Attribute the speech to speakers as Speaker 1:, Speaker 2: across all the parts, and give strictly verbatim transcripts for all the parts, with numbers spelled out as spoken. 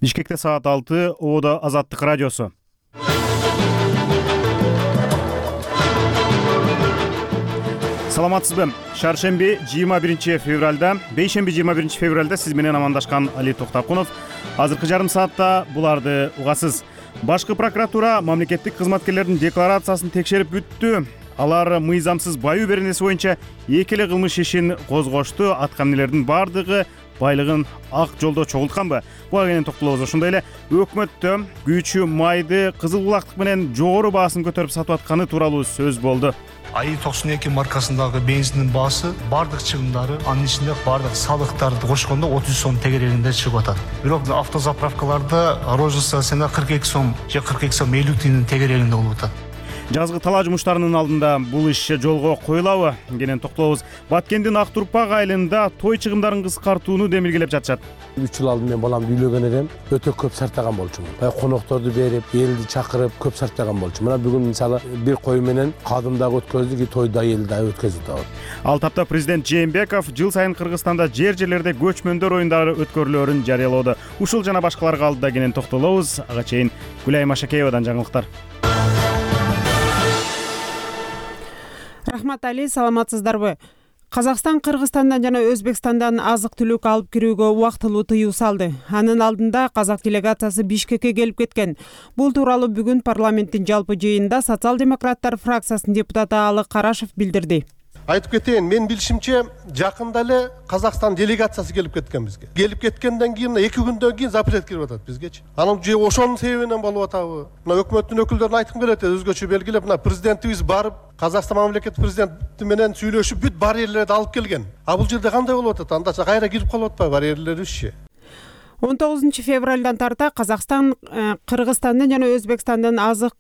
Speaker 1: Бишкекте саат алты, Оодо Азаттык радиосу. Саламатсызбы? Шаршемби жыйырма биринчи февралда, бейшемби жыйырма биринчи февралда сиз менен амандашкан Али Токтакунов. Азыркы жарым саатта буларды угасыз. Башкы прокуратура мамлекеттик кызматкерлердин декларациясын текшерип бүттү. Алар мыйзамсыз баю беренеси боюнча эки эле кылмыш ишин козгошту. Аткан элердин бардыгы байлыгын ак жолдо чогултканбы? Буга кенен токтолобуз. Ошондой эле өкмөттө күйүүчү майды кызыл булактык менен жогору баасын көтөрүп сатып атканы тууралуу сөз болду.
Speaker 2: АИ токсон эки маркасындагы бензиндин баасы бардык чыгымдары, анын ичинде бардык салыктарды кошкондо отуз сом тегерегинде чыгып атат. Бирок автозаправкаларда розница цена кырк эки сом же кырк эки сом элүү тыйындын тегерегинде болуп атат.
Speaker 1: Жазгы талаа жумуштарынын алдында бул иш жолго коюлабы? Кенен токтолобуз. Баткендин Ак Турпак айылында той чыгымдарын кыскартууну демилгелеп жатышат.
Speaker 3: үч жыл алдын мен баламды үйлөгөн элем, өтө көп сартаган болчумун. Баягы конокторду берип, элди чакырып, көп сартаган болчумун. Мына бүгүн мисалы бир кой менен кадым дагы өткөздүк, той да эл да өткөздүк дагы.
Speaker 1: Ал тапта президент Жээнбеков жыл сайын Кыргызстанда жер-жерлерде көчмөндөр оюндары өткөрүлөөрүн жарыялоодо. Ушул жана башкаларга алдыда кенен токтолобуз. Ага чейин Гүлайым Ашакеевадан жаңылыктар.
Speaker 4: Рахмат Али, саламатсыздарбы? Казакстан Кыргызстандан жана Өзбекстандан азык-түлүк алып кирүүгө убактылуу тыюу салды. Анын алдында казак делегациясы Бишкекке келип кеткен. Бул тууралуу бүгүн парламенттин жалпы жыйынында социал-демократтар фракциясынын депутаты Алы Карашев билдирди.
Speaker 5: Айтып кетейин, мен билишимче жакында эле Казакстан делегациясы келип кеткен бизге. Келип кеткенден кийин эки күндөн кийин запрет кирип атат бизгечи. Анын же ошонун себебинен болуп атабы? Мына өкмөттүн өкүлдөрүн айткым келет, өзгөчө белгилеп, мына президентибиз барып, Казакстан мамлекет президенти менен сүйлөшүп бүт барьерлерди алып келген. А бул жерде кандай болуп атат? Андача кайра кирип калып атпайбы барьерлерибизчи?
Speaker 4: он тогузунчу февралдан тарта Казакстан Кыргызстандын жана Өзбекстандын азык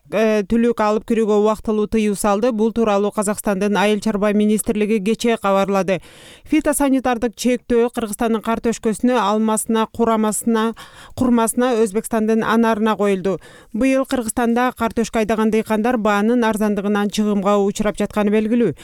Speaker 4: түлүк алып кирүүгө убактылуу тыюу салды. Бул тууралуу Казакстандын айыл чарба министрлиги кечээ кабарлады. Фитосанитардык чектөө Кыргызстандын картөшкөсүнө, алмасына, курамасына, курмасына, Өзбекстандын анарына коюлду. Быйыл Кыргызстанда картөшкө айдаган дыйкандар баанын арзандыгынан чыгымга учурап жатканы белгилүү.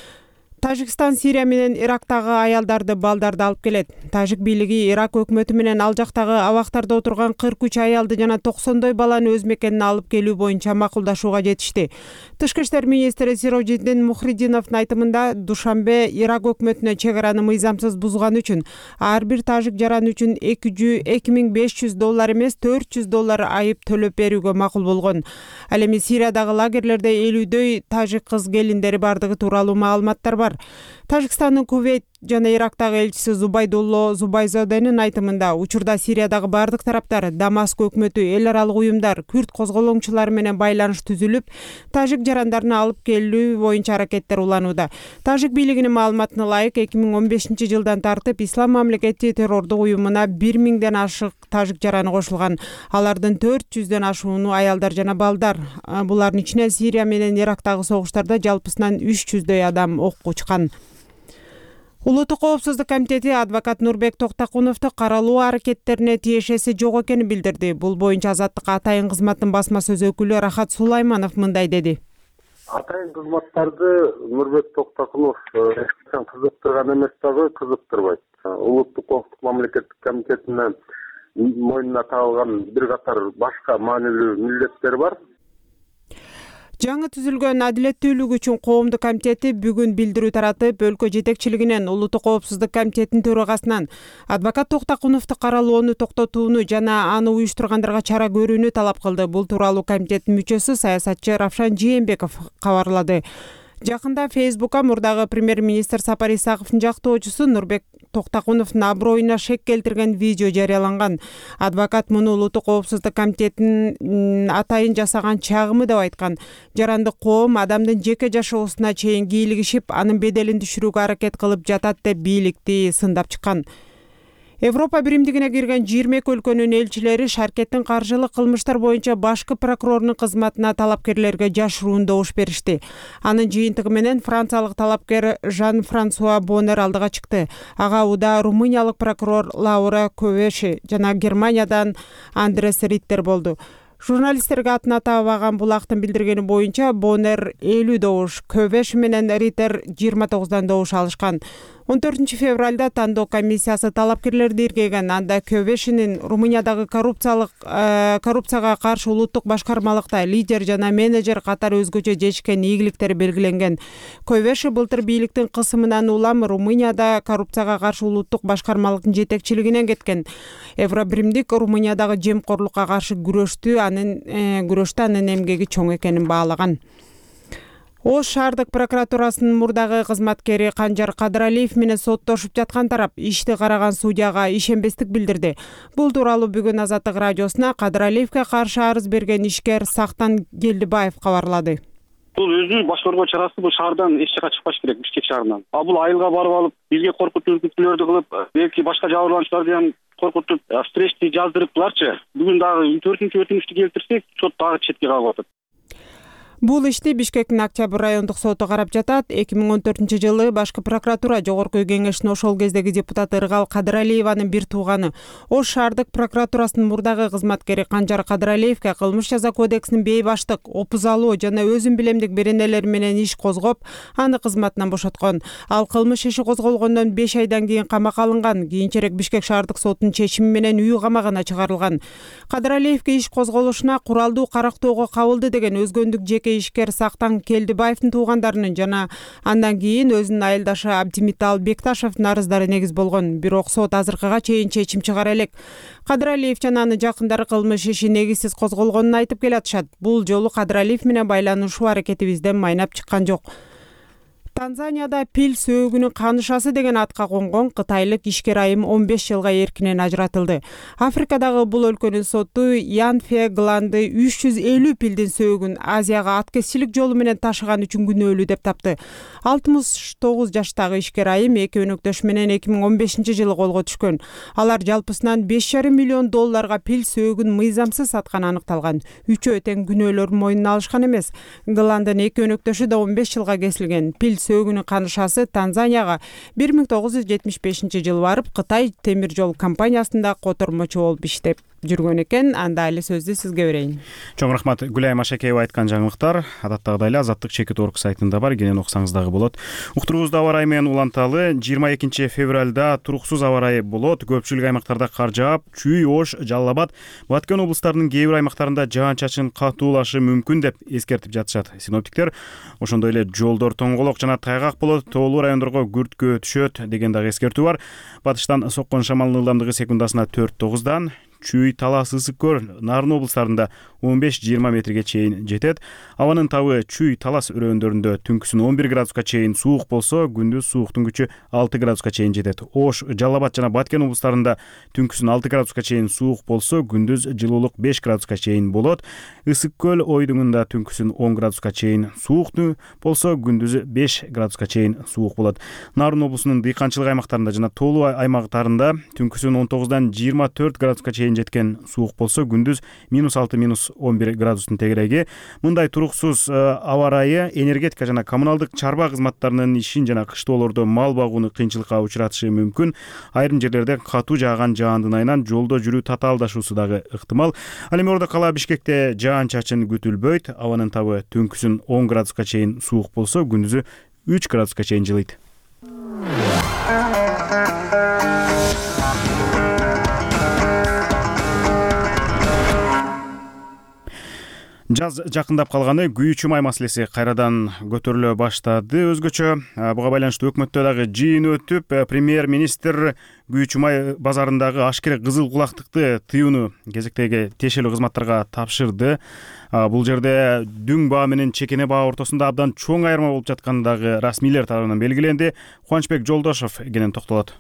Speaker 4: Тажикстан Сирия менен Ирактагы аялдарды, балдарды алып келет. Тажик бийлиги Ирак өкмөтү менен ал жактагы абактарда отурган кырк үч аялды жана токсондой баланы өз мекенине алып келүү боюнча макулдашууга жетишти. Тышкы иштер министри Сирожиддин Мухридиновдун айтымында Душанбе Ирак өкмөтүнө чек араны мыйзамсыз бузган үчүн ар бир тажик жаран үчүн эки миң беш жүз доллар эмес төрт жүз доллар айып төлөп берүүгө макул болгон. Ал эми Сириядагы лагерлерде элүүдөй тажик кыз келиндери бардыгы тууралуу маалыматтар бар. Тажикстандын Кувейт жана Ирактагы элчиси Зубайдулло Зубайзоденин айтымында учурда Сириядагы бардык тараптар, Дамаск өкмөтү, эл аралык уюмдар, күрд козголоңчулары менен байланыш түзүлүп, тажик жарандарын алып келүү боюнча аракеттер уланууда. Тажик бийлигинин маалыматына ылайык, эки миң он бешинчи жылдан тартып Ислам мамлекети террордук уюмуна бир миңден ашык тажик жараны кошулган. Алардын төрт жүздөн ашууну аялдар жана балдар. Булардын ичине Сирия менен Ирактагы согуштарда жалпысынан үч жүздөй адам окко учкан. Улуттук коопсуздук комитети адвокат Нурбек Токтакуновду каралуу аракеттерине тиешеси жок экенин билдирди. Бул боюнча Азаттык атайын кызматтын басма сөз өкүлү Рахат Сулайманов мындай деди.
Speaker 6: Атайын кызматтарды Нурбек Токтакунов кызыктырган эмес дагы кызыктырбайт. Улуттук коопсуздук мамлекеттик комитетинин мойнуна тагылган бир катар башка маанилүү милдеттер бар.
Speaker 4: Жаңы түзүлгөн Адилеттүүлүк үчүн коомдук комитети бүгүн билдирүү таратып, өлкө жетекчилигинен, Улуттук коопсуздук комитетинин төрагасынан адвокат Токтакуновду каралоону токтотууну жана аны уюштургандарга чара көрүүнү талап кылды. Бул тууралуу комитеттин мүчөсү саясатчы Равшан Жээнбеков кабарлады. Жакында Фейсбукка мурдагы премьер-министр Сапар Исаковдун жактоочусу Нурбек Токтакуновдун аброюна шек келтирген видео жарыяланган. Адвокат муну Улуттук коопсуздук комитетинин атайын жасаган чагымы деп айткан. Жарандык коом адамдын жеке жашоосуна чейин кийлигишип, анын беделин түшүрүүгө аракет кылып жатат деп бийликти сындап чыккан. Европа биримдигине кирген жыйырма эки өлкөнүн элчилери шаркеттин каржылык кылмыштар боюнча башкы прокурордун кызматына талапкерлерге жашыруун добуш беришти. Анын жыйынтыгы менен франциялык талапкер Жан-Франсуа Бонер алдыга чыкты. Ага уда румыниялык прокурор Лаура Ковеши жана Германиядан Андрес Риттер болду. Журналисттерге атын атабаган булактын билдиргени боюнча Бонер элүү добуш, Көвеш менен Риттер жыйырма тогуздан добуш алышкан. он төртүнчү февралда тандоо комиссиясы талапкерлерди иргеген. Анда Кövешинин Румыниядагы коррупциялык коррупцияга каршы улуттук башкармалыкта лидер жана менеджер катары өзгөчө жетишкен ийгиликтери белгиленген. Кövеши былтыр бийликтин кысымынан улам Румынияда коррупцияга каршы улуттук башкармалыктын жетекчилигинен кеткен. Евробиримдик Румыниядагы жемкорлукка каршы күрөштү анын күрөштө анын эмгеги чоң экенин баалаган. Ош шаардык прокуратурасынын мурдагы кызматкери Канжар Кадыралиев менен соттошуп жаткан тарап ишти караган судьяга ишенбестик билдирди. Бул тууралуу бүгүн Азаттык радиосуна Кадыралиевке каршы арыз берген ишкер Сактан Келдибаев кабарлады.
Speaker 7: Бул өзүнүн баш коргоо чарасы бул шаардан эч жака чыкпаш керек, Бишкек шаарынан. А бул айылга барып алып, бизге коркутуу үркүтүүлөрдү кылып, белки башка жабырлануучуларды ham коркутуп, стрессти жаздырыптыларчы. Бүгүн дагы төртүнчү өтүнүштү келтирсек, сот дагы четке калып атат.
Speaker 4: Бул ишти Бишкектин Октябрь райондук соту карап жатат. эки миң он төртүнчү жылы башкы прокуратура жогорку кеңешинин ошол кездеги депутаты Ыргал Кадыралиеванын бир тууганы Ош шаардык прокуратурасынын мурдагы кызматкери Канжар Кадыралиевке кылмыш жаза кодексинин бейбаштык, опузалоо жана өзүн билемдик беренелери менен иш козгоп, аны кызматынан бошоткон. Ал кылмыш иши козголгондон беш айдан кийин камакка алынган. Кийинчерээк Бишкек шаардык сотунун чечими менен үй камагына чыгарылган. Кадыралиевке иш козголушуна куралдуу карактоого кабылды деген өзгөндүк жеке ишкер Сактан Келдибаевдин туугандарынын жана андан кийин өзүнүн айылдашы Абдимитал Бекташевдин арыздары негиз болгон. Бирок сот азыркыга чейин чечим чыгара элек. Кадыралиев жана анын жакындары кылмыш иши негизсиз козголгонун айтып келатышат. Бул жолу Кадыралиев менен байланышуу аракетибизден майнап чыккан жок. Танзанияда пил сөөгүнүн канышасы деген атка конгон кытайлык ишкер айым он беш жылга эркинен ажыратылды. Африкадагы бул өлкөнүн соту Ян Фе Гланды үч жүз элүү пилдин сөөгүн Азияга аткезчилик жолу менен ташыган үчүн күнөөлүү деп тапты. алтымыш тогуз жаштагы ишкер айым эки өнөктөш менен эки миң он бешинчи жылы колго түшкөн. Алар жалпысынан беш жарым миллион долларга пил сөөгүн мыйзамсыз сатканы аныкталган. Үчөө тең күнөөлөрүн мойнуна алышкан эмес. Гландын эки өнөктөшү да он беш жылга кесилген. Пил сөөгүнүн канышасы Танзанияга бир миң тогуз жүз жетимиш бешинчи жылы барып, Кытай темир жол компаниясында котормочу болуп иштеп жүргөн экен. Анда эле сөздү сизге берейин.
Speaker 1: Чоң рахмат Гүлайым Ашакеева айткан жаңылыктар адаттагыдай эле Азаттык чекит орг сайтында бар, кенен окусаңыз дагы болот. Уктуруубузду аба ырайы менен уланталы. жыйырма экинчи февралда туруксуз аба ырайы болот. Көпчүлүк аймактарда кар жаап, Чүй, Ош, Жалал Абад, Баткен облустарынын кээ бир аймактарында жаан-чачын катуулашы мүмкүн деп эскертип жатышат синоптиктер. Ошондой эле жолдор тоңголок жана тайгак болот, тоолуу райондорго күрткө түшөт деген дагы эскертүү бар. Батыштан соккон шамалдын ылдамдыгы секундасына төрт тогуздан, Чүй, Талас, Ысык көл, Нарын облустарында он беш жыйырма метрге чейин жетет. Абанын табы Чүй, Талас өрөөндөрүндө түнкүсүн он бир градуска чейин суук болсо, күндүз сууктун күчү алты градуска чейин жетет. Ош, Жалал Абад жана Баткен облустарында түнкүсүн алты градуска чейин суук болсо, күндүз жылуулук беш градуска чейин болот. Ысык көл ойдуңунда түнкүсүн он градуска чейин сууктуу болсо, күндүз беш градуска чейин суук болот. Нарын облусунун дыйканчылык аймактарында жана тоолуу аймактарында түнкүсүн он тогуздан жыйырма төрт градуска чейин жеткен суук болсо, күндүз минус алты минус он бир градустун тегереги. Мындай туруксуз аба ырайы энергетика жана коммуналдык чарба кызматтарынын ишин жана кыштоолордо мал багууну кыйынчылыкка учуратышы мүмкүн. Айрым жерлерде катуу жааган жаандын айынан жолдо жүрүү татаалдашуусу дагы ыктымал. Ал эми ордо кала Бишкекте жаан-чачын күтүлбөйт. Абанын табы түнкүсүн он градуска чейин суук болсо, күндүзү үч градуска чейин жылыйт. Жаз жакындап калганы күйүүчү май маселеси кайрадан көтөрүлө баштады. Өзгөчө буга байланыштуу өкмөттө дагы жыйын өтүп, премьер-министр күйүүчү май базарындагы ашкере кызыл кулактыкты тыюуну кезектеги тиешелүү кызматтарга тапшырды. Бул жерде дүң баа менен чекене баа ортосунда абдан чоң айырма болуп жаткандыгы расмийлер тарабынан белгиленди. Кубанычбек Жолдошов кенен токтолот.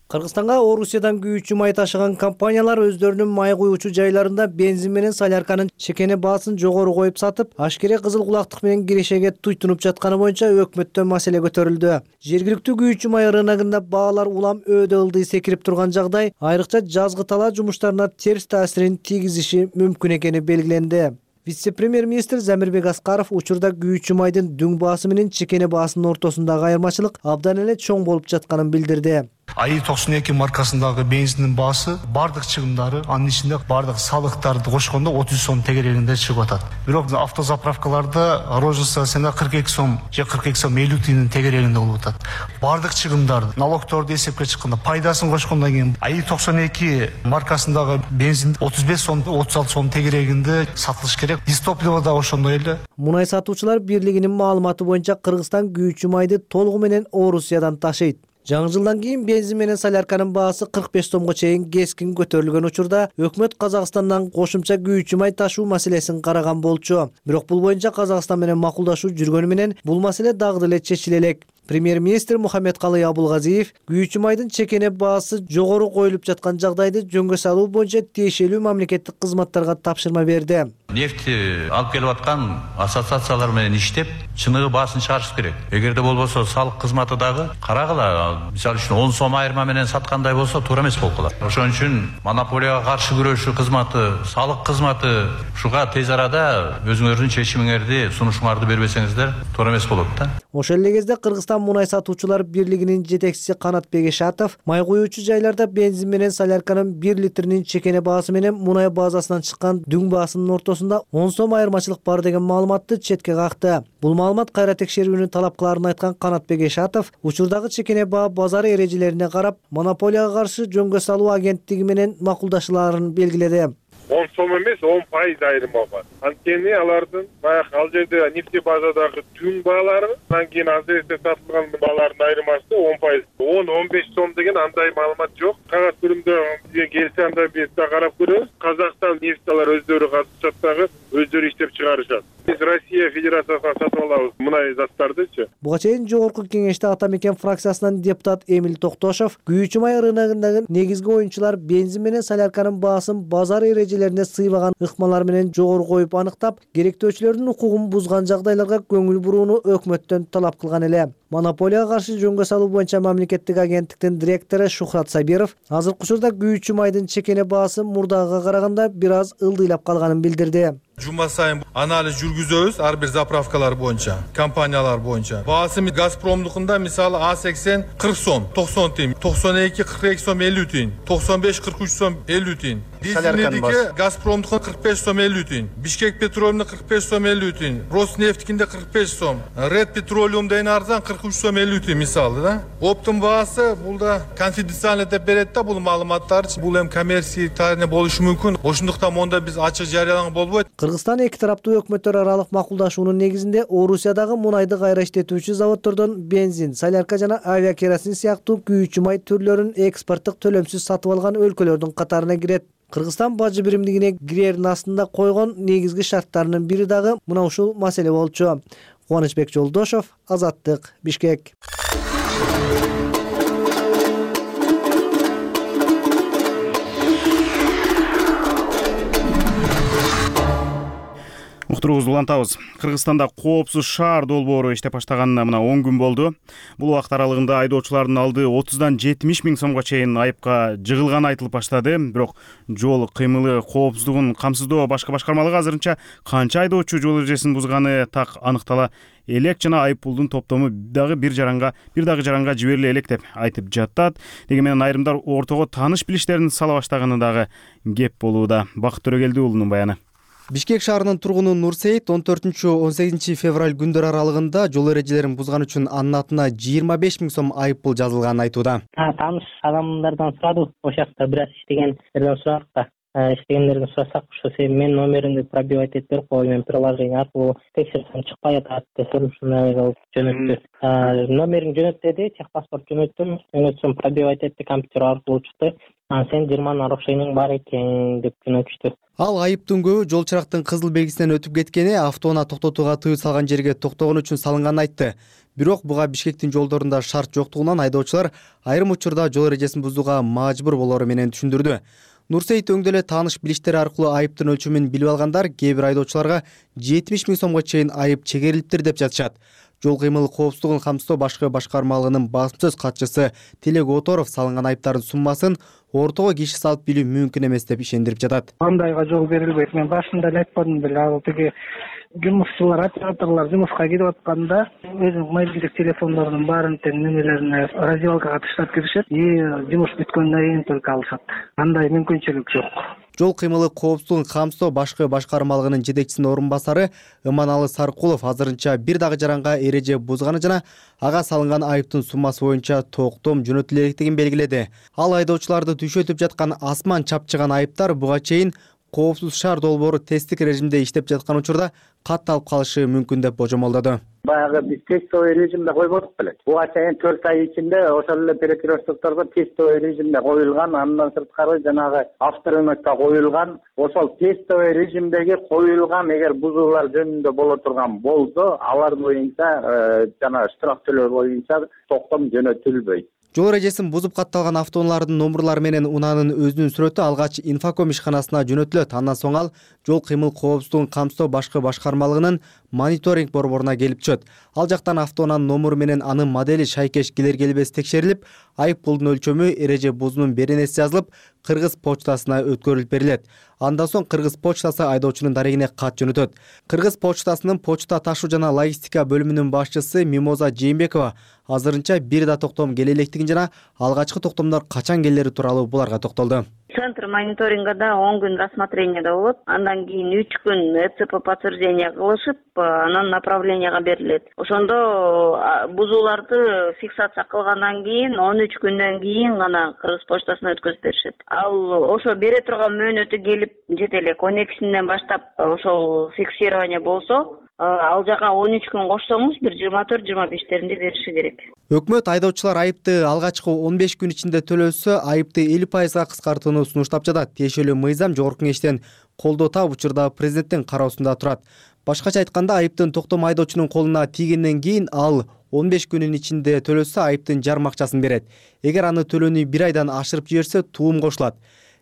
Speaker 8: Кыргызстанга Орусиядан күйүүчү май ташыган компаниялар өздөрүнүн май куюучу жайларында бензин менен солярканын чекене баасын жогору коюп сатып, ашкере кызыл кулактык менен кирешеге туйтунуп жатканы боюнча өкмөттө маселе көтөрүлдү. Жергиликтүү күйүүчү май рыногунда баалар улам өдө ылдый секирип турган жагдай айрыкча жазгы талаа жумуштарына терс таасирин тийгизиши мүмкүн экени белгиленди. Вице-премьер-министр Замирбек Аскаров учурда күйүүчү майдын дүң баасы менен чекене баасынын ортосундагы айырмачылык абдан эле чоң болуп жатканын билдирди.
Speaker 2: АИ токсон эки маркасындагы бензиндин баасы бардык чыгымдары, анын ичинде бардык салыктарды кошкондо отуз сом тегерегинде чыгып атат. Бирок автозаправкаларда розница цена кырк эки сом же кырк эки сом элүү тиюнун тегерегинде болуп атат. Бардык чыгымдарды, налогторду эсепке чыкканда, пайдасын кошкондон кийин АИ токсон эки маркасындагы бензин отуз беш сом, отуз алты сом тегерегинде сатылыш керек. Дистопливо да ошондой эле.
Speaker 8: Мунай сатуучулар бирлигинин маалыматы боюнча Кыргызстан күйүүчү майды толугу менен Орусиядан ташыйт. Жаңы жылдан кийин бензин менен солярканын баасы кырк беш сомго чейин кескин көтөрүлгөн учурда өкмөт Казакстандан кошумча күйүүчү май ташуу маселесин караган болчу. Бирок бул боюнча Казакстан менен макулдашуу жүргөнү менен бул маселе дагы деле чечиле элек. Премьер-министр Мухаммедкалый Абулгазиев күйүүчү майдын чекене баасы жогору коюлуп жаткан жагдайды жөнгө салуу боюнча тиешелүү мамлекеттик кызматтарга тапшырма берди.
Speaker 9: Нефти алып келип аткан ассоциациялар менен иштеп, чыныгы баасын чыгарыш керек. Эгерде болбосо салык кызматы дагы карагыла, мисалы үчүн он сом айырма менен саткандай болсо туура эмес болуп калат. Ошон үчүн монополияга каршы күрөшүү кызматы, салык кызматы ушуга тез арада өзүңөрдүн чечимиңерди, сунушуңарды бербесеңиздер туура эмес болот да.
Speaker 8: Ошол эле кезде Кыргызстан мунай сатуучулар бирлигинин жетекчиси Канатбек Ишатов май куюучу жайларда бензин менен солярканын бир литринин чекене баасы менен мунай базасынан чыккан дүң баасынын ортосунда он сом айырмачылык бар деген маалыматты четке какты. Бул маалымат кайра текшерүүнү талап кыларын айткан Канатбек Ишатов учурдагы чекене баа базар эрежелерине карап, монополияга каршы жөнгө салуу агенттиги менен макулдашууларын белгиледи.
Speaker 10: он сом эмес, он пайыз айырма бар. Анткени алардын баягы ал жерде нефтебазадагы түн баалары, андан кийин азерде сатылган баалардын айырмасы он пайыз. он он беш сом деген андай маалымат жок. Кагаз түрүндө бизге келсе анда биз да карап көрөбүз. Казакстан нефталар өздөрү катышат дагы, өздөрү иштеп чыгарышат. Биз Россия Федерациясынан сатып алабыз мынай заттардычы.
Speaker 8: Буга чейин жогорку кеңеште Ата Мекен фракциясынан депутат Эмил Токтошов күйүүчү май рыногундагы негизги оюнчулар бензин менен солярканын баасын базар эрежелерине сыйбаган ыкмалар менен жогору коюп аныктап, керектөөчүлөрдүн укугун бузган жагдайларга көңүл бурууну өкмөттөн талап кылган эле. Монополияга каршы жөнгө салуу боюнча мамлекеттик агенттиктин директору Шухрат Сабиров азыркы учурда күйүүчү майдын чекене баасы мурдагыга караганда бир аз ылдыйлап калганын билдирди.
Speaker 11: Жума сайын анализ жүргүзөбүз ар бир заправкалар боюнча, компаниялар боюнча. Баасы Газпромдукунда мисалы А сексен кырк сом, токсон тиын, токсон эки кырк эки сом элүү тиын, токсон беш кырк үч сом элүү тиын. Дизельдики Газпромдукун кырк беш сом элүү тиын, Бишкек Петролиумда кырк беш сом элүү тиын, Роснефтикинде кырк беш сом, Ред Петролиумда эң арзан кырк үч сом элүү тиын мисалы да. Оптум баасы бул да конфиденциально деп берет да бул маалыматтар. Бул эм коммерция тарихи болушу мүмкүн. Ошондуктан монда биз ачык жарыяланган болбойт.
Speaker 8: Кыргызстан эки тараптуу өкмөттөр аралык макулдашуунун негизинде Орусиядагы мунайды кайра иштетүүчү заводдордон бензин, солярка жана авиакеросин сыяктуу күйүүчү май түрлөрүн экспорттук төлөмсүз сатып алган өлкөлөрдүн катарына кирет. Кыргызстан бажы биримдигине кирердин астында койгон негизги шарттарынын бири дагы мына ушул маселе болчу. Кубанычбек Жолдошов, Азаттык, Бишкек.
Speaker 1: Уктуруубузду улантабыз. Кыргызстанда коопсуз шаар долбоору иштеп баштаганына мына он күн болду. Бул убакыт аралыгында айдоочулардын алды отуздан жетимиш миң сомго чейин айыпка жыгылганы айтылып баштады. Бирок жол кыймылы коопсуздугун камсыздоо башкы башкармалыгы азырынча канча айдоочу жол эрежесин бузганы так аныктала элек жана айып пулдун топтому дагы бир жаранга бир дагы жаранга жибериле элек деп айтып жатат. Деги менен айрымдар ортого тааныш билиштерин сала баштаганы дагы кеп болууда. Бакыт Төрөгелди уулунун баяны.
Speaker 12: Бишкек шаарынын тургуну Нурсейит он төртүнчү он сегизинчи февраль күндөр аралыгында жол эрежелерин бузган үчүн анын атына жыйырма беш миң сом айып пул жазылганын айтууда.
Speaker 13: Тааныш адамдардан сурадык, ошол жакта бир аз иштегендерден сурадык да. Иштегендерден сурасак, ошол себеби мен номеримди пробивать этип берип коюм, приложение аркылуу текшерсем чыкпай атат десем ушундай кылып жөнөттү. Номериң жөнөт деди, техпаспорт жөнөттүм, жөнөтсөм пробивать этти компьютер аркылуу чыкты. Сен жыйырма нарушениең бар экен деп жөнөтүштү.
Speaker 12: Ал айыптын көбү жол чырактын кызыл белгисинен өтүп кеткени, автоунаа токтотууга тыюу салган жерге токтогон үчүн салынганын айтты. Бирок буга Бишкектин жолдорунда шарт жоктугунан айдоочулар айрым учурда жол эрежесин бузууга мажбур болору менен түшүндүрдү. Нурсейит өңдө эле тааныш билиштери аркылуу айыптын өлчөмүн билип алгандар кээ бир айдоочуларга жетимиш миң сомго чейин айып чегерилиптир деп жатышат. Жол кыймыл коопсуздугун камсыздоо башкы башкармалыгынын басма сөз катчысы Тилек Оторов салынган айыптардын суммасын ортого киши салып билүү мүмкүн эмес деп ишендирип жатат.
Speaker 14: Андайга жол берилбейт. Мен башында эле айтпадым беле, ал тиги жумушчулар, операторлор жумушка кирип атканда өзүнүн мобилдик телефондорунун баарын тең немелерине раздевалкага таштап киришет и жумуш бүткөндөн кийин только алышат. Андай мүмкүнчүлүк жок.
Speaker 12: Жол кыймылы коопсуздугун камсыздоо башкы башкармалыгынын жетекчисинин орун басары Ыманалы Саркулов азырынча бир дагы жаранга эреже бузганы жана ага салынган айыптын суммасы боюнча токтом жөнөтүлө электигин белгиледи. Ал айдоочуларды түшөтүп жаткан асман чапчыган айыптар буга чейин коопсуз шаар долбоору тесттик режимде иштеп жаткан учурда катталып калышы мүмкүн деп божомолдоду.
Speaker 15: Баягы биз тестовый режимде койбодук беле. Буга чейин төрт ай ичинде ошол эле перекрестокторго тестовый режимде коюлган, андан сырткары жанагы авторынокко коюлган, ошол тестовый режимдеги коюлган эгер бузуулар жөнүндө боло турган болсо, алар боюнча жана штраф төлөө боюнча токтом жөнөтүлбөйт.
Speaker 12: Жол эрежесин бузуп катталган автоунаалардын номурлары менен унаанын өзүнүн сүрөтү алгач инфоком ишканасына жөнөтүлөт. Андан соң ал жол кыймыл коопсуздугун камсыздоо башкы башкармалыгынын мониторинг борборуна келип түшөт. Ал жактан автоунаанын номуру менен анын модели шайкеш келер-келбес текшерилип, айып пулдун өлчөмү, эреже бузуунун беренеси жазылып, Кыргыз почтасына өткөрүлүп берилет. Андан соң Кыргыз почтасы айдоочунун дарегине кат жөнөтөт. Кыргыз почтасынын почта ташуу жана логистика бөлүмүнүн башчысы Мимоза Жээнбекова азырынча бир да токтом келе электигин жана алгачкы токтомдор качан келери тууралуу буларга токтолду.
Speaker 16: Центр мониторингада он күн рассмотрениеде болот. Андан кийин үч күн э цэ пэ подтверждение кылышып, анан направленияга берилет. Ошондо бузууларды фиксация кылгандан кийин он үч күндөн кийин гана Кыргыз почтасына өткөзүп беришет. Ал ошо бере турган мөөнөтү келип жете элек. он экисинен баштап ошол фиксирование болсо, ал жака он үч күн кошсоңуз бир жыйырма төрт жыйырма бештеринде бериши керек.
Speaker 12: Өкмөт айдоочулар айыпты алгачкы он беш күн ичинде төлөсө, айыпты элүү пайызга кыскартууну сунуштап жатат. Тиешелүү мыйзам жогорку кеңештен колдоо таап учурда президенттин кароосунда турат. Башкача айтканда, айыптын токтом айдоочунун колуна тийгенден кийин ал он беш күнүн ичинде төлөсө, айыптын жарым акчасын берет. Эгер аны төлөөнү бир айдан ашырып жиберсе, туум кошулат.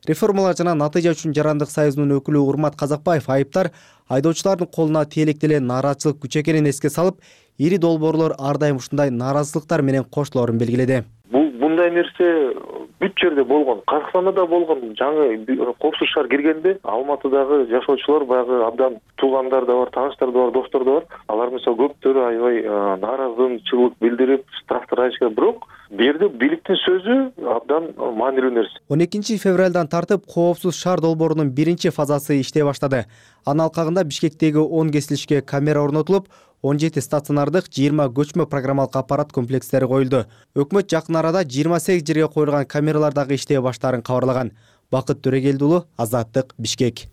Speaker 12: Реформалар жана натыйжа үчүн жарандык союзунун өкүлү Урмат Казакбаев айыптар айдоочулардын колуна тиелек деле нааразычылык күч экенин эске салып, ири долбоорлор ар дайым ушундай нааразычылыктар менен коштолорун белгиледи.
Speaker 17: Бул мындай нерсе бүт жерде болгон. Казакстанда да болгон. Жаңы коопсуз шаар киргенде Алматыдагы жашоочулар баягы абдан туугандар да бар, тааныштар да бар, достор да бар. Алар мисалы көптөрү аябай нааразычылык билдирип, штрафтар айтышкан. Бирок бу жерде бийликтин сөзү абдан маанилүү нерсе.
Speaker 12: он экинчи февралдан тартып коопсуз шаар долбоорунун биринчи фазасы иштей баштады. Анын алкагында Бишкектеги он кесилишке камера орнотулуп, он жети стационардык, жыйырма көчмө программалык аппарат комплекстери коюлду. Өкмөт жакын арада жыйырма сегиз жерге коюлган камералар дагы иштей баштаарын кабарлаган. Бакыт Төрөгелди уулу, Азаттык, Бишкек.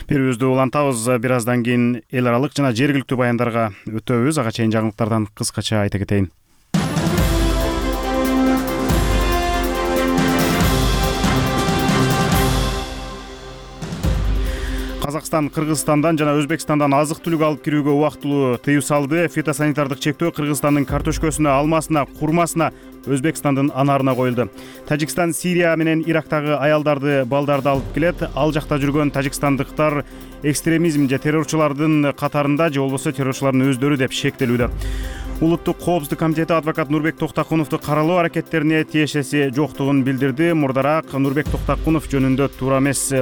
Speaker 1: Берүүбүздү улантабыз. Бир аздан кийин эл аралык жана жергиликтүү баяндарга өтөбүз. Ага чейин жаңылыктардан кыскача айта кетейин. Казакстан Кыргызстандан жана Өзбекстандан азык-түлүк алып кирүүгө убактылуу тыюу салды. Фитосанитардык чектөө Кыргызстандын картошкөсүнө, алмасына, курмасына, Өзбекстандын анарына коюлду. Тажикстан Сирия менен Ирактагы аялдарды, балдарды алып келет. Ал жакта жүргөн тажикстандыктар экстремизм же террорчулардын катарында же болбосо террорчулардын өздөрү деп шектелүүдө. Улуттук коопсуздук комитети адвокат Нурбек Токтакуновду каралоо аракеттерине тиешеси жоктугун билдирди. Мурдараак Нурбек Токтакунов жөнүндө туура эмес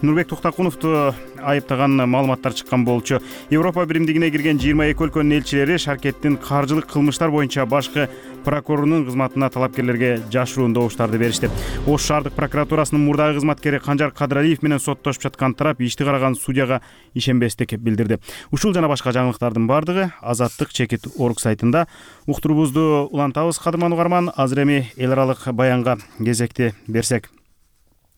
Speaker 1: Нурбек Токтакуновду айыптаган маалыматтар чыккан болчу. Европа биримдигине кирген жыйырма эки өлкөнүн элчилери Шаркеттин каржылык кылмыштар боюнча башкы прокурорунун кызматына талапкерлерге жашыруун добуштарды беришти. Ош шаардык прокуратурасынын мурдагы кызматкери Канжар Кадыралиев менен соттошуп жаткан тарап ишти караган судьяга ишенбестик билдирди. Ушул жана башка жаңылыктардын бардыгы Азаттык чекит орг сайтында. Уктуруубузду улантабыз, кадырман угарман. Азыр эми эл аралык баянга кезекти берсек.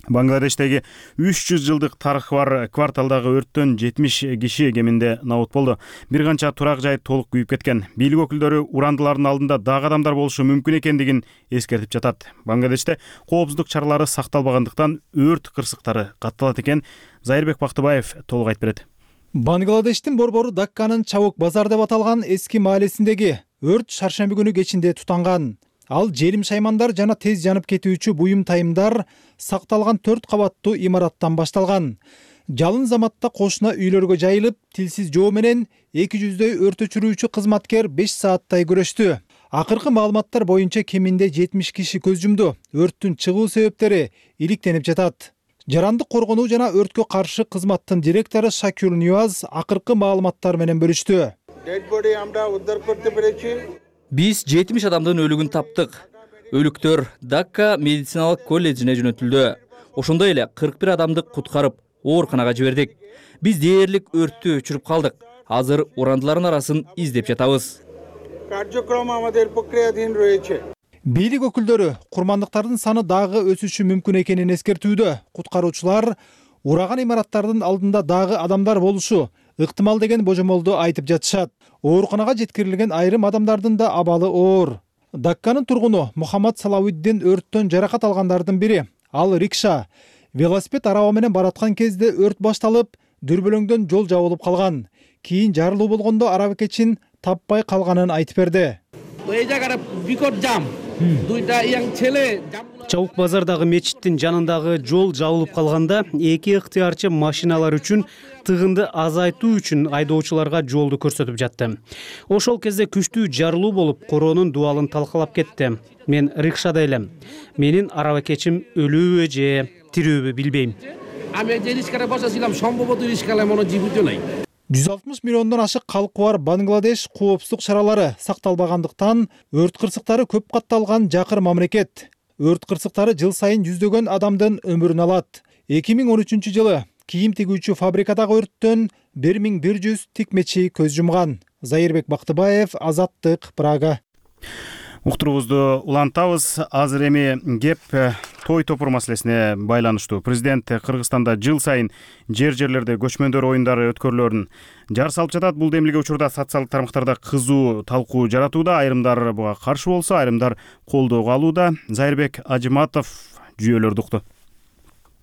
Speaker 1: Бангладештеги үч жүз жылдык тарыхы бар кварталдагы өрттөн жетимиш киши кеминде набут болду. Бир канча турак жай толук күйүп кеткен. Бийлик өкүлдөрү урандылардын алдында дагы адамдар болушу мүмкүн экендигин эскертип жатат. Бангладеште коопсуздук чаралары сакталбагандыктан өрт кырсыктары катталат экен. Зайырбек Бактыбаев толук айтып берет.
Speaker 18: Бангладештин борбору Дакканын Чабук базар деп аталган эски маалесиндеги өрт шаршемби күнү кечинде тутанган. Ал желим шаймандар жана тез жанып кетүүчү буюм тайымдар сакталган төрт кабаттуу имараттан башталган. Жалын заматта кошуна үйлөргө жайылып, тилсиз жоо менен эки жүздөй өрт өчүрүүчү кызматкер беш сааттай күрөштү. Акыркы маалыматтар боюнча кеминде жетимиш киши көз жумду. Өрттүн чыгуу себептери иликтенип жатат. Жарандык коргонуу жана өрткө каршы кызматтын директору Шакюр Ньюаз акыркы маалыматтар менен бөлүштү.
Speaker 19: Биз жетимиш адамдын өлүгүн таптык. Өлүктөр Дакка медициналык колледжине жөнөтүлдү. Ошондой эле кырк бир адамды куткарып, ооруканага жибердик. Биз дээрлик өрттү өчүрүп калдык. Азыр урандылардын арасын издеп жатабыз.
Speaker 18: Бийлик өкүлдөрү курмандыктардын саны дагы өсүшү мүмкүн экенин эскертүүдө. Куткаруучулар ураган имараттардын алдында дагы адамдар болушу ыктымал деген божомолду айтып жатышат. Ооруканага жеткирилген айрым адамдардын да абалы оор. Дакканын тургуну Мухаммад Салауиддин өрттөн жаракат алгандардын бири. Ал рикша, велосипед араба менен бараткан кезде өрт башталып, дүрбөлөңдөн жол жабылып калган. Кийин жарылуу болгондо арабекечин таппай калганын айтып берди.
Speaker 20: Чабук базардагы мечиттин жанындагы жол жабылып калганда эки ыктыярчы машиналар үчүн тыгынды азайтуу үчүн айдоочуларга жолду көрсөтүп жатты. Ошол кезде күчтүү жарылуу болуп, короонун дубалын талкалап кетти. Мен рикшада элем. Менин арабакечим өлүүбү же тирүүбү билбейм.
Speaker 18: жүз алтымыш миллиондон ашык калкы бар Бангладеш коопсуздук чаралары сакталбагандыктан өрт кырсыктары көп катталган жакыр мамлекет. Өрт кырсыктары жыл сайын жүздөгөн адамдын өмүрүн алат. эки миң он үчүнчү жылы кийим тигүүчү фабрикадагы өрттөн бир миң бир жүз тикмечи көз жумган. Зайырбек Бактыбаев, Азаттык, Прага.
Speaker 1: Уктуруубузду улантабыз. Азыр эми кеп той топур маселесине байланыштуу. Президент Кыргызстанда жыл сайын жер жерлерде көчмөндөр оюндары өткөрүлөрүн жар салып жатат. Бул демилге учурда социалдык тармактарда кызуу талкуу жаратууда. Айрымдар буга каршы болсо, айрымдар колдоого алууда. Зайырбек Ажыматов жүйөлөрдү укту.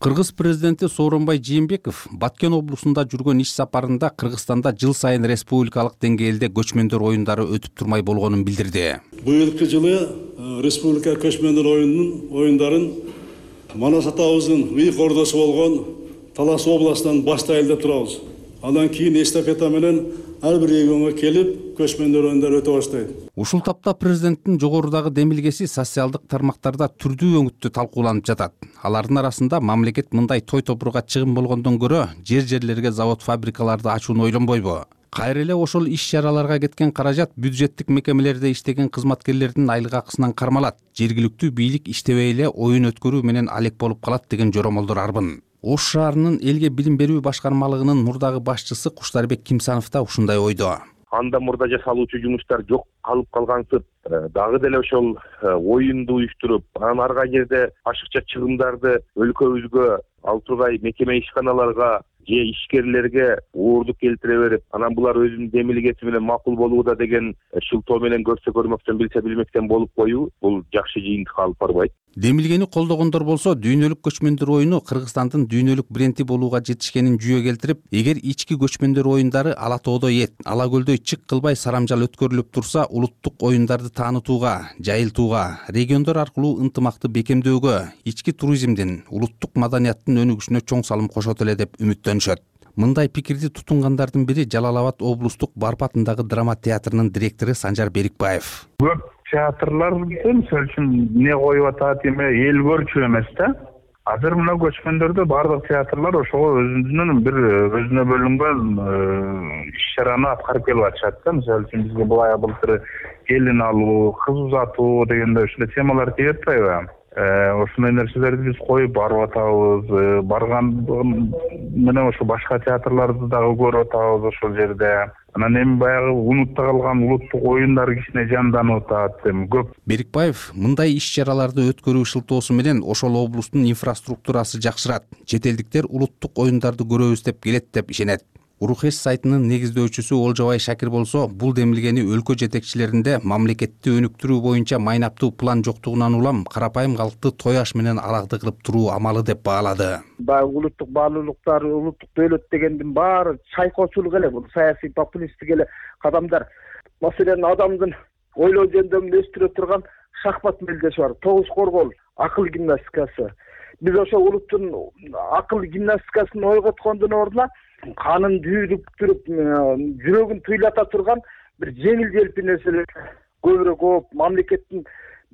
Speaker 21: Кыргыз президенти Сооронбай Жээнбеков Баткен облусунда жүргөн иш сапарында Кыргызстанда жыл сайын республикалык деңгээлде көчмөндөр оюндары өтүп турмай болгонун билдирди.
Speaker 22: Быйылкы жылы республика көчмөндөр оюнунун оюндарын Манас атабыздын ыйык ордосу болгон Талас областынан баштайлы деп турабыз. Андан кийин эстафета менен ар бир регионго келип көчмөндөр оюндары өтө баштайт.
Speaker 21: Ушул тапта президенттин жогорудагы демилгеси социалдык тармактарда түрдүү өңүттүү талкууланып жатат. Алардын арасында мамлекет мындай той топурга чыгым болгондон көрө жер жерлерге завод фабрикаларды ачууну ойлонбойбу? Кайра эле ошол иш-чараларга кеткен каражат бюджеттик мекемелерде иштеген кызматкерлердин айлык акысынан кармалат. Жергиликтүү бийлик иштебей эле оюн өткөрүү менен алек болуп калат деген жоромолдор арбын. Ош шаарынын элге билим берүү башкармалыгынын мурдагы башчысы Куштарбек Кимсанов да ушундай ойдо.
Speaker 23: Анда мурда жасалуучу жумуштар жок калып калгансып, дагы деле ошол оюнду уюштуруп, анан арга жерде ашыкча чыгымдарды өлкөбүзгө ал тургай мекеме ишканаларга же ишкерлерге уурдук келтире берип, анан булар өзүнүн демилгеси менен макул болууда деген шылтоо менен көрсө көрмөктөн билсе билмектен болуп коюу бул жакшы жыйынтыкка алып барбайт.
Speaker 21: Демилгени колдогондор болсо дүйнөлүк көчмөндөр оюну Кыргызстандын дүйнөлүк бренди болууга жетишкенин жүйө келтирип, эгер ички көчмөндөр оюндары Ала тоодо эт, Ала көлдө чык кылбай сарамжал өткөрүлүп турса, улуттук оюндарды таанытууга, жайылтууга, региондор аркылуу ынтымакты бекемдөөгө, ички туризмдин, улуттук маданияттын өнүгүшүнө чоң салым кошот эле деп үмүттөнүшөт. Мындай пикирди тутунгандардын бири Жалал Абад облустук Барп атындагы драма театрынын директору Санжар Берикбаев.
Speaker 24: Көп театрлар мисалы үчүн эмне коюп атат, эме эл көрчү эмес да. Азыр мына көчмөндөрдө бардык театрлар ошого өзүнүн бир өзүнө бөлүнгөн иш-чараны аткарып келип атышат да. Мисалы үчүн бизге былай былтыр келин алуу, кыз узатуу дегенде ушундай темалар тийип атпайбы? Ошондой нерселерди биз коюп барып атабыз. Барган менен ошо башка театрларды дагы көрүп атабыз ошол жерде. Анан эми баягы унутта калган улуттук оюндар кичине жанданып атат. Эми көп.
Speaker 21: Берикбаев мындай иш-чараларды өткөрүү шылтоосу менен ошол облустун инфраструктурасы жакшырат. Чет элдиктер улуттук оюндарды көрөбүз деп келет деп ишенет. Урухеш сайтынын негиздөөчүсү Олжобай Шакир болсо, бул демилгени өлкө жетекчилеринде мамлекетти өнүктүрүү боюнча майнаптуу план жоктугунан улам карапайым калкты той аш менен алакты кылып туруу амалы деп баалады.
Speaker 25: Баягы улуттук баалуулуктар, улуттук дөөлөт дегендин баары чайкоочулук эле, бул саясий популисттик эле кадамдар. Маселен адамдын ойлоо жөндөмүн өстүрө турган шахмат мелдеши бар, тогуз коргол, акыл гимнастикасы. биз ошо улуттун акыл гимнастикасын ойготкондун ордуна канын дүйдүктүрүп, жүрөгүн туйлата турган бир жеңил желпи нерселер көбүрөөк болуп, мамлекеттин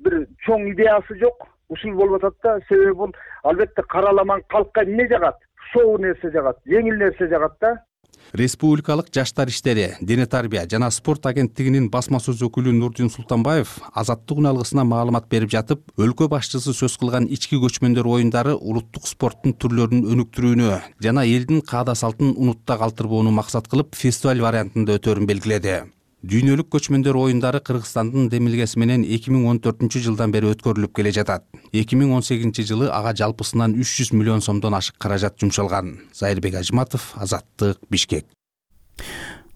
Speaker 25: бир чоң идеясы жок. Ушул болуп атат да, себеби бул албетте караламан калкка эмне жагат? Шоу нерсе жагат, жеңил нерсе жагат да.
Speaker 21: Республикалык жаштар иштери, дене тарбия жана спорт агенттигинин басма сөз өкүлү Нурдин Султанбаев Азаттык үн алгысына маалымат берип жатып, өлкө башчысы сөз кылган ички көчмөндөр оюндары улуттук спорттун түрлөрүн өнүктүрүүнү жана элдин каада салтын унутта калтырбоону максат кылып фестиваль вариантында өтөөрүн белгиледи. Дүйнөлүк көчмөндөр оюндары Кыргызстандын демилгеси менен эки миң он төртүнчү жылдан бери өткөрүлүп келе жатат. эки миң он сегизинчи жылы ага жалпысынан үч жүз миллион сомдон ашык каражат жумшалган. Зайырбек Ажматов, Азаттык, Бишкек.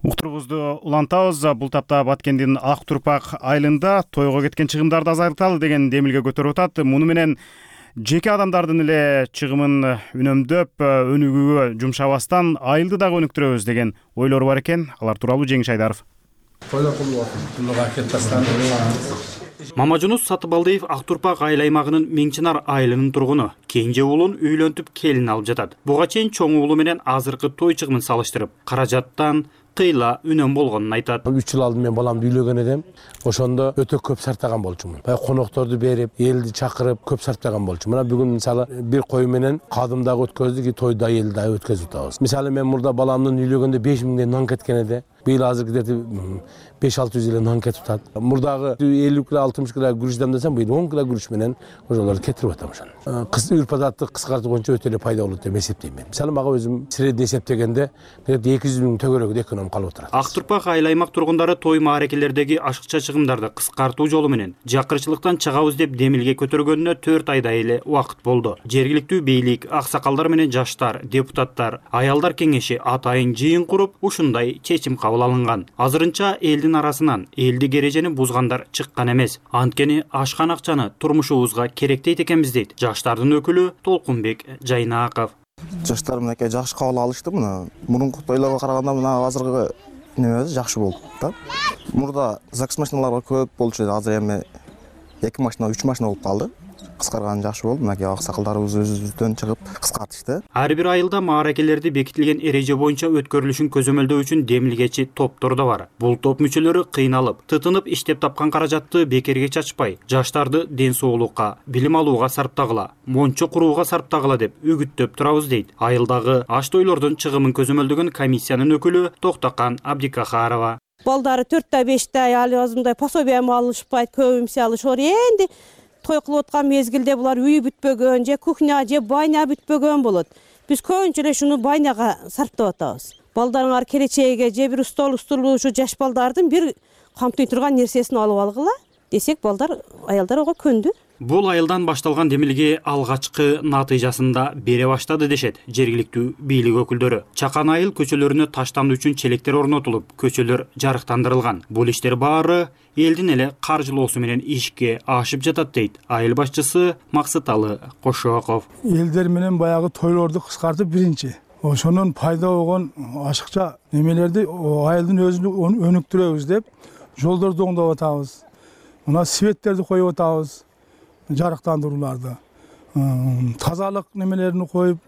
Speaker 1: Уктуруубузду улантабыз. Бул тапта Баткендин Ак Турпак айылында тойго кеткен чыгымдарды азайталы деген демилге көтөрүп атат. Муну менен жеке адамдардын эле чыгымын үнөмдөп, өнүгүүгө жумшабастан айылды дагы өнүктүрөбүз деген ойлору бар экен. Алар тууралуу Жеңиш Айдаров.
Speaker 3: Мамажунус Сатыбалдиев Ак Турпак айыл аймагынын Меңчинар айылынын тургуну. Кенже уулун үйлөнтүп келин алып жатат. Буга чейин чоң уулу менен азыркы той чыгымын салыштырып, каражаттан кыйла үнөм болгонун айтат.
Speaker 4: үч жыл алдын мен баламды үйлөгөн эдим. Ошондо өтө көп сартаган болчумун. Баягы конокторду берип, элди чакырып, көп сартаган болчумун. Мына бүгүн мисалы бир кой менен кадым дагы өткөздүк, тойду да элди да өткөзүп атабыз. Мисалы мен мурда баламдын үйлөгөндө беш миңден нан кеткен эди. Быйыл азыр где-то беш алты жүз эле нан кетип атат. Мурдагы элүү кило алтымыш кило күрүчтем десем, быйыл он кило күрүч менен ошолорду кетирип атам ошону. Кыз үрп адатты кыскартуу боюнча өтө эле пайда болот деп эсептейм мен. Мисалы мага өзүм средний эсептегенде эки жүз миң төгөрөгү эконом калып отурат.
Speaker 3: Ак Турпак айыл аймак тургундары той маарекелердеги ашыкча чыгымдарды кыскартуу жолу менен жакырчылыктан чыгабыз деп демилге көтөргөнүнө төрт айдай эле убакыт болду. Жергиликтүү бийлик, аксакалдар менен жаштар, депутаттар, аялдар кеңеши атайын жыйын куруп, ушундай чечим кабыл алынган. Азырынча элдин арасынан элдик эрежени бузгандар чыккан эмес. Анткени ашкан акчаны турмушубузга керектейт экенбиз дейт жаштардын өкүлү Толкунбек Жайнааков.
Speaker 5: Жаштар мынакей жакшы кабыл алышты. Мына мурунку тойлорго караганда мына азыркы неме жакшы болду да. Мурда ЗАГС машиналар көп болчу, азыр эми эки машина, үч машина болуп калды. Кыскарганы жакшы болду. Мынакей аксакалдарыбыз өзүбүздөн чыгып кыскартышты.
Speaker 3: Ар бир айылда маарекелерди бекитилген эреже боюнча өткөрүлүшүн көзөмөлдөө үчүн демилгечи топтор да бар. Бул топ мүчөлөрү кыйналып, тытынып иштеп тапкан каражатты бекерге чачпай, жаштарды ден соолукка, билим алууга сарптагыла, мончо курууга сарптагыла деп үгүттөп турабыз дейт. Айылдагы аш тойлордун чыгымын көзөмөлдөгөн комиссиянын өкүлү Токтакан Абдикахарова.
Speaker 6: Балдары төрттө бештө али азымдай пособияны алышпайт, көбүмсү алышор. Энди той кылып аткан мезгилде булар үй бүтпөгөн, же кухня, же байна бүтпөгөн болот. Биз көбүнчө эле шуну байнага сарптап атабыз. Балдарыңар келечеге же бир стол устулуу ушу жаш балдардын бир камтый турган нерсесин алып алгыла десек, балдар, аялдар ого көндү.
Speaker 3: Бул айылдан башталган демилге алгачкы натыйжасында бере баштады дешет жергиликтүү бийлик өкүлдөрү. Чакан айыл көчөлөрүнө таштандуу үчүн челектер орнотулуп, көчөлөр жарыктандырылган. Бул иштер баары элдин эле каржылоосу менен ишке ашып жатат дейт айыл башчысы Максыталы Кошоков.
Speaker 7: Элдер менен баягы тойлорду кыскартып биринчи, ошонун пайда болгон ашыкча немелерди айылдын өзүн өнүктүрөбүз деп жолдорду оңдоп атабыз. Мына светтерди коюп атабыз. Жарыктандырууларды, тазалык немелерин коюп,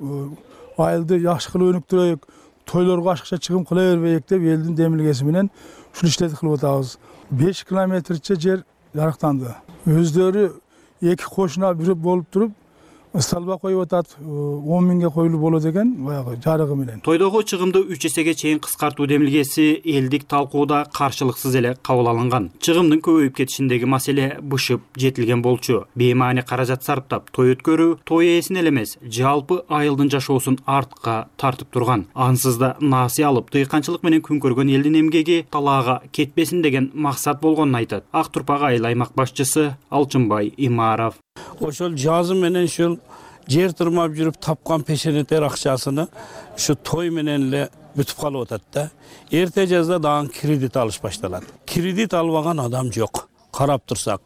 Speaker 7: айылды жакшы кылып өнүктүрөйүк, тойлорго ашыкча чыгым кыла бербейик деп элдин демилгеси менен ушул иштерди кылып атабыз. беш километрче жер жарыктанды. Өздөрү эки кошуна бир болуп туруп, столба коюп атат, он миңге коюлуп болот экен, баягы жарыгы менен.
Speaker 3: Тойдогу чыгымды үч эсеге чейин кыскартуу демилгеси элдик талкууда каршылыксыз эле кабыл алынган. Чыгымдын көбөйүп кетишиндеги маселе бышып жетилген болчу. Беймаани каражат сарптап той өткөрүү той ээсин эле эмес, жалпы айылдын жашоосун артка тартып турган. Ансыз да насый алып, тыйканчылык менен күн көргөн элдин эмгеги талаага кетпесин деген максат болгонун айтат Ак Турпак айыл аймак башчысы Алчынбай Имаров.
Speaker 26: Ошол жазы менен ушул жер турмап жүрүп тапкан пешенетер акчасыны ушу той менен эле бүтүп калып атат да. Эрте жазда дагы кредит алыш башталат. Кредит албаган адам жок. Карап турсак,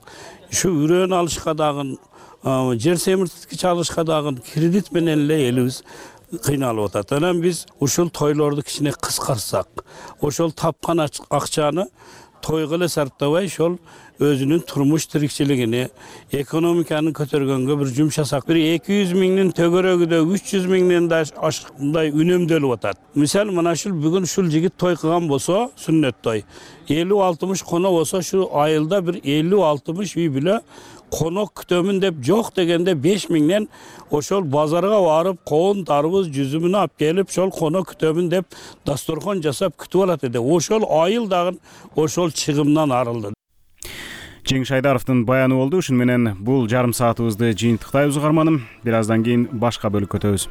Speaker 26: ушу үрөөн алышка дагы, жер семирткич алышка дагы кредит менен эле элибиз кыйналып атат. Анан биз ушул тойлорду кичине кыскартсак, ошол тапкан акчаны тойго эле сарптабай ошол өзүнүн турмуш тирикчилигини, экономиканы көтөргөнгө бир жумшасак, бир эки жүз миңдин төгөрөгүдө үч жүз миңден да ашыкмай үнөмдөлүп атат. Мисалы мына ушул бүгүн ушул жигит той кылган болсо, сүннөт той, элүү алтымыш коно болсо, ушу айылда бир элүү алтымыш үй бүлө конок күтөмүн деп жок дегенде беш миңден ошол базарга барып, коон, тарбуз, жүзүмүн алып келип, ошол конок күтөмүн деп дасторкон жасап күтүп алат эди. Ошол айыл дагы ошол чыгымдан арылды.
Speaker 1: Жеңиш Айдаровдун баяны болду. Ушун менен бул жарым саатыбызды жыйынтыктайбыз угарманым. Бир аздан кийин башка бөлүккө өтөбүз.